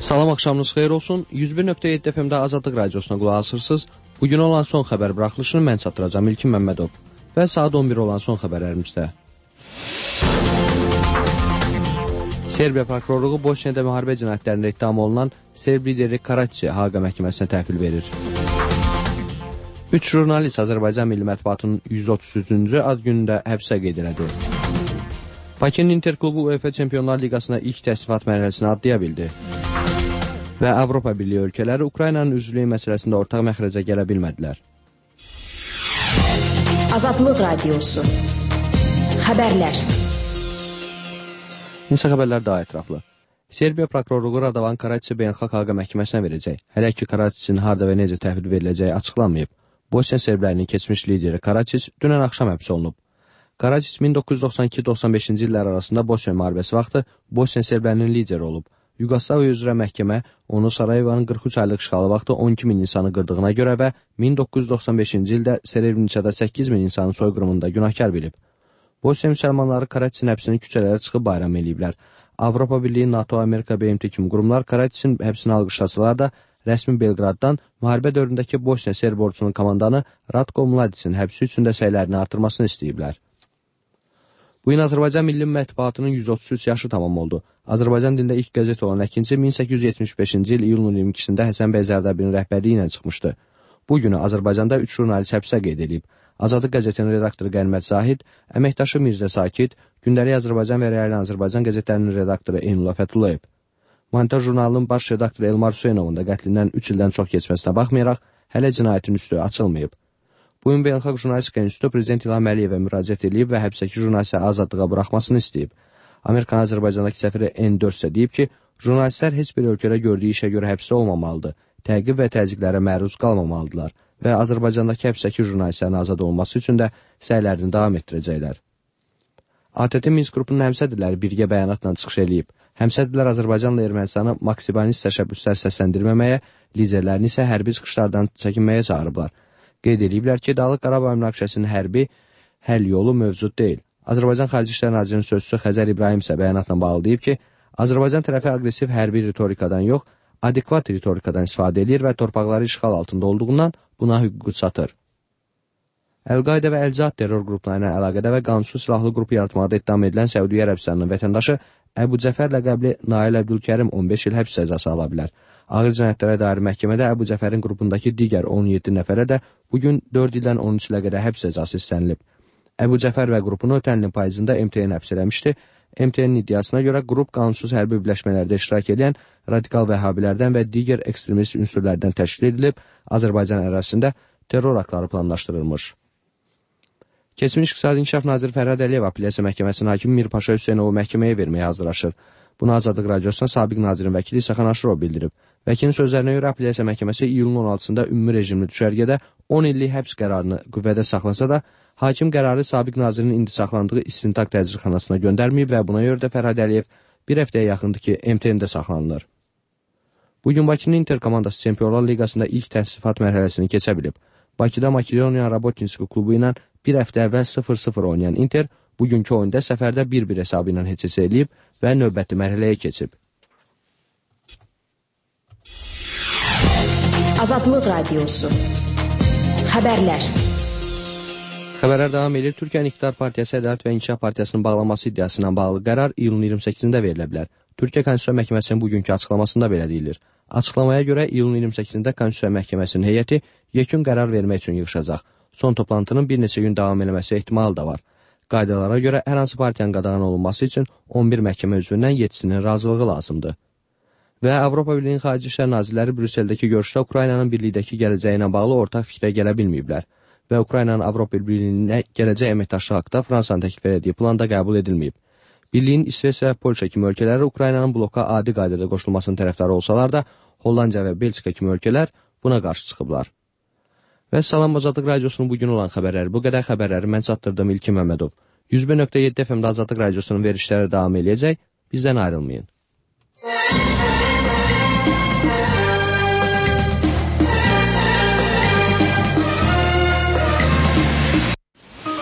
Salam, axşamınız xeyir olsun. 101.7 FM-də Azadlıq Radiosuna qulaq asırsınız. Bugün olan son xəbər buraxılışını mən çatdıracağım İlkin Məmmədov və saat 11 olan son xəbərlərimizdə. Serbiya prokurorluğu Bosniyada müharibə cinayətlərində ittiham olunan Serb lideri Karaçi Haqa məhkəməsinə təhvil verir. 3 jurnalist Azərbaycan Milli Mətbuatının 133-cü ad günündə həbsə qeyd elədi. Bakının Inter klubu UEFA Çempionlar Liqasına ilk təsnifat mərhələsini adlaya bildi. Və Avropa Birliyi ölkələri Ukraynanın üzvlüyü məsələsində ortaq məxrəcə gələ bilmədilər. Azadlıq Radiosu. Xəbərlər. İnsan xəbərlər daha ətraflı. Serbiya prokurorluğu Radovan Karaçi Beynəlxalq Haqa məhkəməsinə verəcək. Hələ ki, Karaçinin harda və necə təhvil veriləcəyi açıqlanmayıb. Bosniya serblərinin keçmiş lideri Karaçic dünən axşam həbs olunub. Karaçic 1992-95-ci illər arasında Bosniya müharibəsi vaxtı Bosniya serblərinin lideri olub. Yugoslaviya üzrə məhkəmə onu Sarayeva'nın 43 aylıq işğalı vaxtı 12.000 insanı qırdığına görə və 1995-ci ildə Srebrenicada 8.000 insanın soyqırımında günahkar bilib. Bosniya müsəlmanları Karaçicin həbsini küçələrə çıxıb bayram eləyiblər. Avropa Birliyi, NATO, Amerika, BMT kimi qurumlar Karaçicin həbsini alqışlasalar da, rəsmi Belqraddan müharibə dövründəki Bosniya Serb ordusunun komandanı Ratko Mladicin həbsi üçün də səylərini artırmasını istəyiblər. Bu gün Azərbaycan Milli Mətbuatının 133 yaşı tamam oldu. Azərbaycan dilində ilk qəzet olan Əkinçi 1875-ci il iyulun 22-sində Həsən bəy Zərdabinin rəhbərliyi ilə çıxmışdı. Bu günü Azərbaycanda 3 jurnalist həbsə qeyd edilib. Azadlıq qəzetinin redaktoru Qənimət Zahid, əməkdaşı Mirzə Sakit, Gündəlik Azərbaycan və Rəyli Azərbaycan qəzetlərinin redaktoru Eynullah Fəthullayev. Montaj jurnalının baş redaktoru Elmar Hüseynovun da qətlindən 3 ildən çox keçməsinə baxmayaraq, hələ cinayətin üstü açılmayıb. Bu gün Beynəlxalq Jurnalistika İnstitutu Prezident İlham Əliyevə müraciət edib və həbsdəki jurnalisti azadlığa buraxmasını istəyib. Amerikan Azərbaycandakı səfiri N4 isə deyib ki, jurnalistlər heç bir ölkədə gördüyü işə görə həbsdə olmamalıdır, təqib və təzyiqlərə məruz qalmamalıdırlar və Azərbaycandakı həbsdəki jurnalistlərin azad olması üçün də səylərini davam etdirəcəklər. ATƏT Minsk qrupunun həmsədrləri birgə bəyanatla çıxış edib. Həmsədrlər Azərbaycanla Ermənistanı maksimalist təşəbbüslər səsləndirməməyə, liderlərini isə hərbi çıxışlardan çəkinməyə çağırıblar. Qeyd ediblər ki, Dağlıq Qarabağ münaqişəsinin hərbi həll yolu mövcud deyil. Azərbaycan Xarici İşlər Nazirinin sözçüsü Xəzər İbrahim isə bəyanatla bağlı deyib ki, Azərbaycan tərəfi aqressiv hərbi ritorikadan yox, adekvat ritorikadan istifadə edir və torpaqları işğal altında olduğundan buna hüququ çatır. Əl-Qayda və Əl-Cihad terror qrupları ilə əlaqədə və qanunsuz silahlı qrup yaratmaqda ittiham edilən Səudiyyə Ərəbistanının vətəndaşı Əbu Cəfər ləqəbli Nail Əbdülkərim 15 il həbs cəzası ala bilər. Ağır cinayətlərə dair məhkəmədə Əbu Cəfərin qrupundakı digər 17 nəfərə də bugün 4 ildən 13 ilə qədər həbs cəzası istənilib. Əbu Cəfər və qrupunu ötən ilin payızında MTN həbs eləmişdi. MTN-in iddiasına görə qrup qanunsuz hərbi birləşmələrdə iştirak edən radikal vəhhabilərdən və digər ekstremist ünsürlərdən təşkil edilib, Azərbaycan ərazisində terror aktları planlaşdırılmış. Keçmiş İqtisadi İnkişaf Naziri Fərhad Əliyev Apellyasiya Məhkəməsinin hakimi Mirpaşa Hüseynovu məhkəməyə verməyə hazırlaşır. Bunu Azadlıq Radiosuna sabiq nazirin vəkili İsa Xanaşırov bildirib. Vəkilin sözlərinə görə Apellyasiya Məhkəməsi iyulun 16-sında ümumi rejimli düşərgədə 10 illik həbs qərarını qüvvədə saxlasa da, hakim qərarı sabiq nazirin indi saxlandığı istintaq təcridxanasına göndərməyib və buna görə də Fərhad Əliyev bir həftəyə yaxındır ki, MTN-də saxlanılır. Bugün Bakının Inter komandası Çempionlar Liqasında ilk təsnifat mərhələsini keçə bilib. Bakıda Makedoniya Rabotninski klubu ilə bir həftə əvvəl 0-0 oynayan Inter bugünkü oyunda səfərdə 1-1 hesabı ilə heç-hesə eləyib və növbəti mərhələyə keçib. Azadlıq Radiosu. Xəbərlər. Xəbərlər davam edir. Türkiyənin İqtidar Partiyası Ədalət və İnkişaf Partiyasının bağlanması iddiasından bağlı qərar iyulun 28-də verilə bilər. Türkiyə Konstitusiya Məhkəməsinin bugünkü açıqlamasında belə deyilir. Açıqlamaya görə iyulun 28-də Konstitusiya Məhkəməsinin heyəti yekun qərar vermək üçün yığışacaq. Son toplantının bir neçə gün davam eləməsi ehtimalı da var. Qaydalara görə hər hansı partiyanın qadağan olunması üçün 11 məhkəmə üzvündən 7-sinin razılığı lazımdır. Və Avropa Birliyinin Xarici İşlər Nazirləri Brüsseldəki görüşdə Ukraynanın birlikdəki gələcəyi ilə bağlı ortaq fikrə gələ bilməyiblər və Ukraynanın Avropa Birliyinə gələcək əməkdaşlığı haqqında Fransanın təklif etdiyi plan da qəbul edilməyib. Birliyin İsveç və Polşa kimi ölkələri Ukraynanın bloka adi qaydada qoşulmasının tərəfdarı olsalar da, Hollandiya və Belçika kimi ölkələr buna qarşı çıxıblar. Və Salam Azadlıq Radiosunun bugün olan xəbərləri, bu qədər xəbərləri mən çatdırdım İlkin Məmmədov. 101.7 FM-də Azadlıq Radiosunun verişləri davam eləyəcək, bizdən ayrılmayın.